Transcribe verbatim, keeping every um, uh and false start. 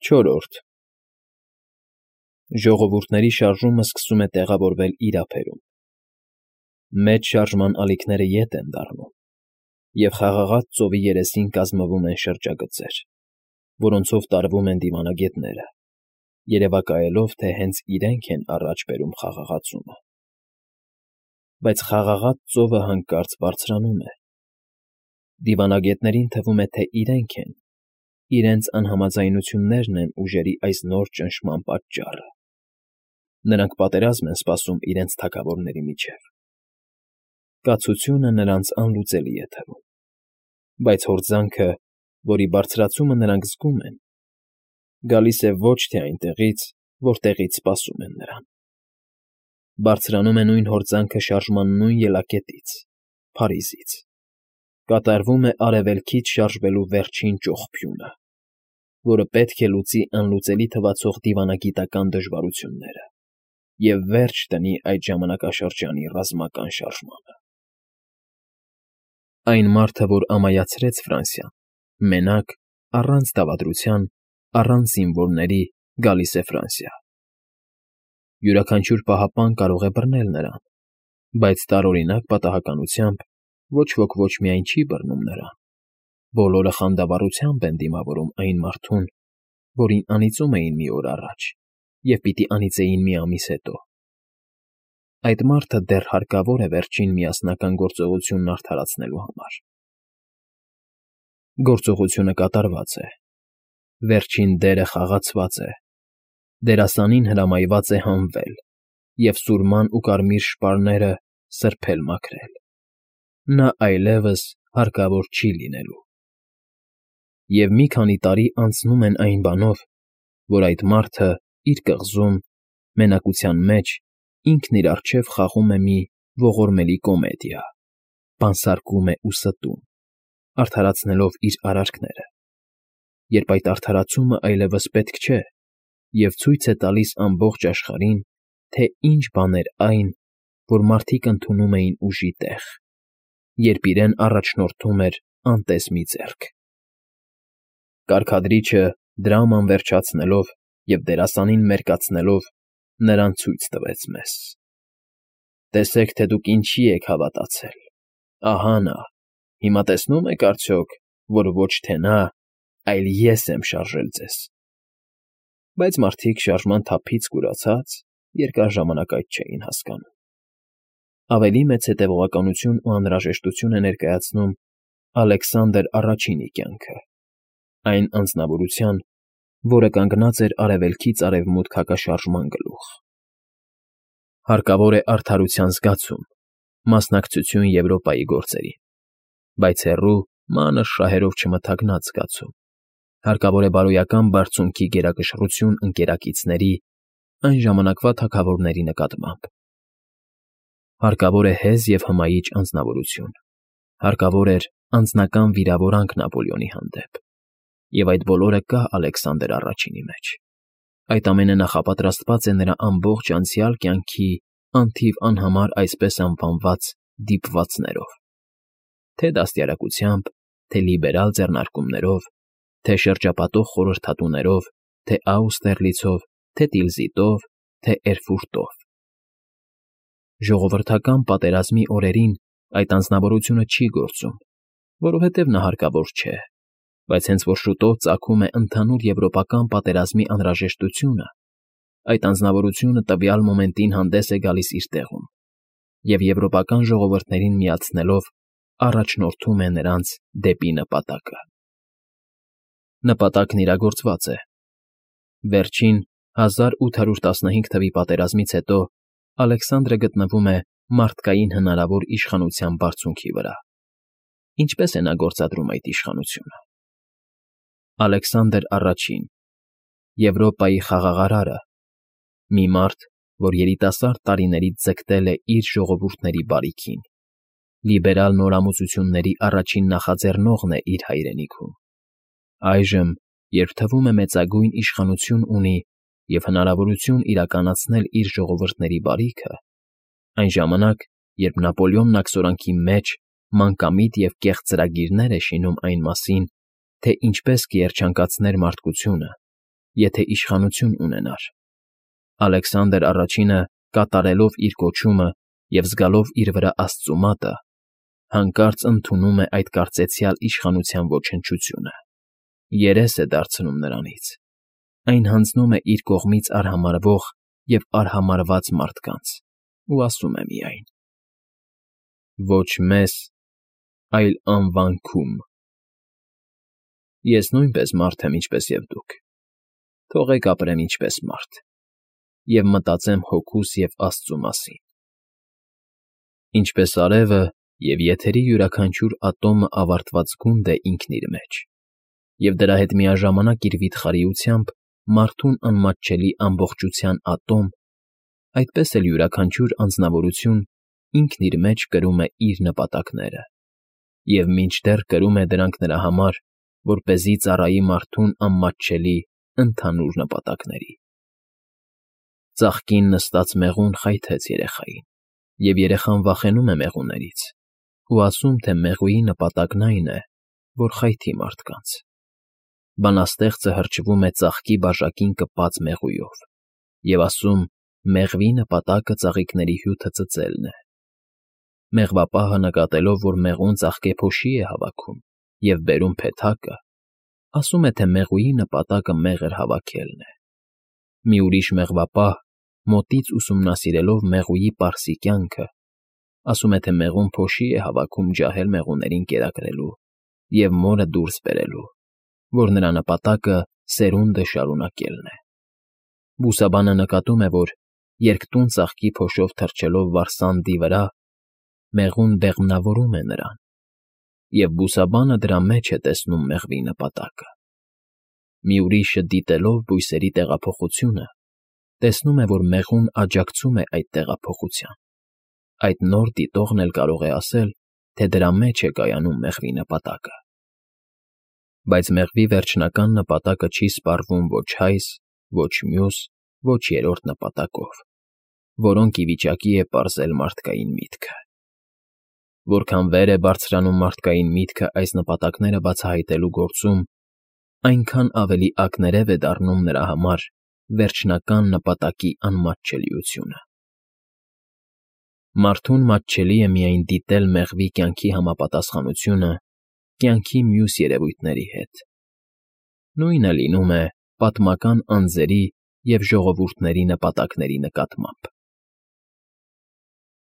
Չորրորդ Ժողովուրդների շարժումը սկսում է տեղավորվել իր ափերում. մեծ շարժման ալիքները ետ են դառնում, և խաղաղած ծովի երեսին կազմվում են շրջագծեր, որոնցով տարվում են դիվանագետները, երևակայելով, թե հենց իրենք են առաջ բերում խաղաղացումը։ Բայց խաղաղած ծովը հանկարծ բարձրանում է. դիվանագետներին թվում է, թե իրենք են, իրենց անհամաձայնություններն են ուժերի այս նոր ճնշման պատճառը։ Նրանք պատերազմ են սպասում իրենց թագավորների միջև։ Կացությունը նրանց անլուծելի է թվում, բայց հորձանքը, որի բարձրացումը նրանք զգում են, գալիս է ոչ թե այնտեղից, որտեղից սպասում են նրան։ Բարձրանում է նույն հորձանքը շարժման նույն ելակետից՝ Փարիզից։ Կատարվում է արևելքից շարժվելու վերջին ճողփյունը, որը պետք է լուծի անլուծելի թվացող դիվանագիտական դժվարությունները և վերջ դնի այդ ժամանակաշրջանի ռազմական շարժմանը։ Այն մարդը, որ ամայացրեց Ֆրանսիան, մենակ, առանց դավադրության, առանց զինվորների գալիս է Ֆրանսիա։ Յուրաքանչյուր պահապան կարող է բռնել նրան, բայց տարօրինակ պատահականությամբ ոչ ոք ոչ միայն չի բռնում նրան, բոլորը խանդավառությամբ են դիմավորում այն մարդուն, որին անիծում էին մի օր առաջ և պիտի անիծեին մի ամիս հետո։ Այդ մարդը դեռ հարկավոր է վերջին միասնական գործողությունն արդարացնելու համար։ Գործողությունը կատարված է, վերջին դերը խաղացված է, դերասանին հրամայված է հանվել և սուրման ու կարմիր շպարները սրբել մաքրել։ Նա այլևս հարկավոր չի լինելու։ Եվ մի քանի տարի անցնում են այն բանով, որ այդ մարդը իր կղզում, մենակության մեջ, ինքն իր առջև խաղում է մի ողորմելի կոմեդիա, բանսարկում է ու ստում, արդարացնելով իր արարքները, երբ այդ արդարացումը այլևս պետք չէ և ցույց է տալիս ամբողջ աշխարհին, թե ինչ բան էր այն, որ մարդիկ ընդունում էին ուժի տեղ, երբ իրեն առաջնորդում էր անտես մի ձեռք։ Կարգադրիչը, դրաման վերջացնելով և դերասանին մերկացնելով, նրան ցույց տվեց մեզ. «Տեսեք, թե դուք ինչի եք հավատացել. ահա նա, հիմա տեսնո՞ւմ եք արդյոք, որ ոչ թե նա, այլ ես եմ շարժել ձեզ»։ Բայց մարդիկ շարժման թափից կուրացած երկար ժամանակ այդ չէին հասկանում։ Ավելի մեծ հետևողականություն ու անհրաժեշտություն է ներկայացնում Ալեքսանդր Առաջինի կյանքը, այն անձնավորության, որը կանգնած էր արևելքից արևմուտք հակաշարժման գլուխ։ Հարկավոր է արդարության զգացում, մասնակցություն Եվրոպայի գործերին, բայց հեռու, մանր շահերով չմթագնած զգացում, հարկավոր է բարոյական բարձունքի գերակշռություն ընկերակիցների, այն ժամանակվա թագավորների նկատմամբ։ Հարկավոր է հեզ և հմայիչ անձնավորություն, հարկավոր էր անձնական վիրավորանք Նապոլեոնի հանդեպ, և այդ բոլորը կա Ալեքսանդր Առաջինի մեջ։ Այդ ամենը նախապատրաստված է նրա ամբողջ անցյալ կյանքի անթիվ անհամար այսպես անվանված դիպվածներով, թե դաստիարակությամբ, թե լիբերալ ձեռնարկումներով, թե շրջապատող խորհրդատուներով, թե Աուստերլիցով, թե Տիլզիտով, թե Էրֆուրտով։ Ժողովրդական պատերազմի օրերին այդ անձնավորությունը չի գործում, որովհետև նա հարկավոր չէ, բայց հենց որ շուտով ծագում է ընդհանուր եվրոպական պատերազմի անհրաժեշտությունը, այդ անձնավորությունը տվյալ մոմենտին հանդես է գալիս իր տեղում և եվրոպական ժողովուրդներին միացնելով առաջնորդում է նրանց դեպի նպատակը։ Նպատակն իրագործված է։ Վերջին հազար ութ հարյուր տասնհինգ թվականի պատերազմից հետո Ալեքսանդրը գտնվում է մարդկային հնարավոր իշխանության բարձունքի վրա։ Ինչպե՞ս է նա գործադրում այդ իշխանությունը։ Ալեքսանդր Առաջին, Եվրոպայի խաղաղարարը, մի մարդ, որ երիտասարդ տարիներից ձգտել է իր ժողովուրդների բարիքին, լիբերալ նորամուծությունների առաջին նախաձեռնողն է իր հայրենիքում։ Այժմ, երբ թվում է մեծագույն իշխանություն ունի և հնարավորություն իրականացնել իր ժողովուրդների բարիքը, այն ժամանակ, երբ Նապոլեոնն աքսորանքի մեջ մանկամիտ և կեղծ ծրագիրներ է շինում այն մասին, թե ինչպես կերջանկացներ մարդկությունը եթե իշխանություն ունենար։ Ալեքսանդր Առաջինը, կատարելով իր կոչումը և զգալով իր վրա աստծու մատը, հանկարծ ընդունում է այդ կարծեցյալ իշխանության ոչնչությունը, երես է դարձնում նրանից, այն հանձնում է իր կողմից արհամարհվող և արհամարհված մարդկանց ու ասում է միայն. «Ոչ մեզ, այլ անվանքում»։ Ես նույնպես մարդ եմ, ինչպես և դուք, թողեք ապրեմ ինչպես մարդ և մտածեմ հոգուս և աստծու մասին։ Ինչպես արևը և եթերի յուրաքանչյուր ատոմը ավարտված գունդ է ինքն իր մեջ, և դրա հետ միաժամանակ իր վիթխարիությամբ մարդուն անմատչելի ամբողջության ատոմ, այդպես էլ յուրաքանչյուր անձնավորություն ինքն իր մեջ կրում է իր նպատակները և մինչդեռ կրում է դրանք նրա համար, որպեսզի ծառայի մարդուն անմատչելի ընդհանուր նպատակների։ Ծաղկին նստած մեղուն խայթեց երեխային, և երեխան վախենում է մեղուներից ու ասում, թե մեղուի նպատակն այն է, որ խայթի մարդկանց։ Բանաստեղծը հրճվում է ծաղկի բաժակին կպած մեղուով և ասում. մեղվի նպատակը ծաղիկների հյութը ծծելն է։ Մեղվապահը, նկատելով, որ մեղուն ծաղկե փոշի է հավաքում և բերում փեթակը, ասում է, թե մեղուի նպատակը մեղր հավաքելն է։ Մի ուրիշ մեղվապահ, մոտից ուսումնասիրելով մեղուի պարսի կյանքը, ասում է, թե մեղուն փոշի է հավաքում ջահել մեղուներին կերակրելու և մորը դուրս բերելու, որ նրա նպատակը սերունդը շարունակելն է։ Բուսաբանը նկատում է, որ երկտուն ծաղկի փոշով թռչելով վարսանդի վրա, մեղուն բեղմնավորում է նրան, և բուսաբանը դրա մեջ է տեսնում մեղվի նպատակը։ Մի ուրիշը, դիտելով բույսերի տեղափոխությունը, տեսնում է, որ մեղուն աջակցում է այդ տեղափոխության։ Այդ նոր դիտողն էլ կարող է ասել, թե դրա մեջ է կայանում մեղվի նպատակը։ Բայց մեղվի վերջնական նպատակը չի սպառվում ոչ հայս, ոչ մյուս, ոչ երրորդ նպատակով, որոնք ի վիճակի է պարզել մարդկային միտքը։ Որքան վեր է բարձրանում մարդկային միտքը այս նպատակները բացահայտելու գործում, այնքան ավելի ակներև է դառնում նրա համար վերջնական նպատակի անմատչելիությունը։ Մարդուն մատչելի է միայն դիտել մեղվի կյանքի համապատասխանությունը կյանքի մյուս երևույթների հետ։ Նույնը լինում է պատմական անձերի և ժողովուրդների նպատակների նկատմամբ։